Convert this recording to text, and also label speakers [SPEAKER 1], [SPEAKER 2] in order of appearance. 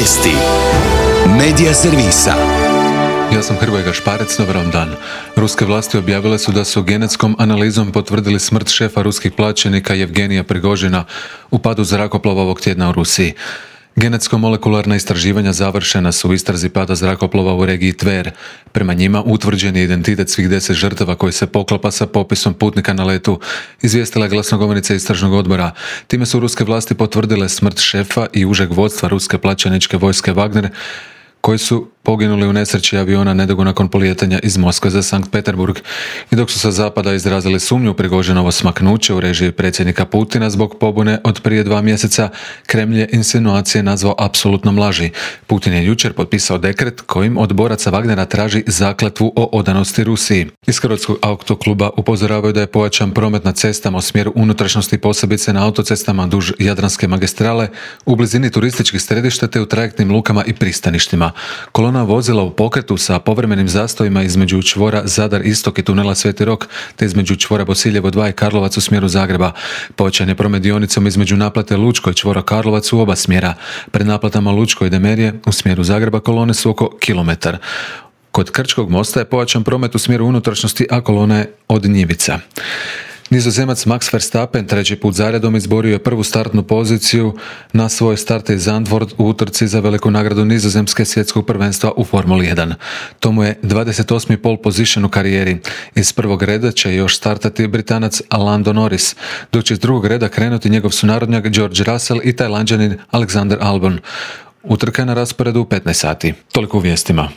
[SPEAKER 1] Vijesti Medija servisa.
[SPEAKER 2] Ja sam Hrvoje Gašparec, dobar vam dan. Ruske vlasti objavile su da su genetskom analizom potvrdili smrt šefa ruskih plaćenika Jevgenija Prigožina u padu zrakoplova ovog tjedna u Rusiji. Genetsko-molekularna istraživanja završena su u istrazi pada zrakoplova u regiji Tver. Prema njima utvrđen je identitet svih 10 žrtava koji se poklapa sa popisom putnika na letu, izvijestila je glasnogovornica istražnog odbora. Time su ruske vlasti potvrdile smrt šefa i užeg vodstva ruske plaćeničke vojske Wagner, koji su poginuli u nesreći aviona nedugo nakon polijetanja iz Moskve za Sankt Peterburg. I dok su sa zapada izrazili sumnju u Prigožinovo smaknuće u režiji predsjednika Putina zbog pobune od prije 2 mjeseca, Kremlj je insinuacije nazvao apsolutnom laži. Putin je jučer potpisao dekret kojim od boraca Wagnera traži zakletvu o odanosti Rusiji. Iz Hrvatskog autokluba upozoravaju da je pojačan promet na cestama u smjeru unutrašnjosti, posebice na autocestama duž Jadranske magistrale, u blizini turističkih središta te u trajektnim lukama i pristaništima. Kolona vozila u pokretu sa povremenim zastojima između čvora Zadar Istok i tunela Sveti Rok, te između čvora Bosiljevo 2 i Karlovac u smjeru Zagreba. Pojačan je promet dionicom između naplate Lučko i čvora Karlovac u oba smjera. Pred naplatama Lučko i Demerije u smjeru Zagreba kolone su oko kilometar. Kod Krčkog mosta je pojačan promet u smjeru unutrašnjosti, a kolona je od Njivica. Nizozemac Max Verstappen 3. put zaredom izborio je prvu startnu poziciju na svoj start iz Zandvoort u utrci za veliku nagradu Nizozemske svjetskog prvenstva u Formuli 1. To mu je 28. pole position u karijeri. Iz prvog reda će još startati Britanac Lando Norris, dok će iz drugog reda krenuti njegov sunarodnjak George Russell i Tajlanđanin Alexander Albon. Utrka je na rasporedu u 15 sati. Toliko u vijestima.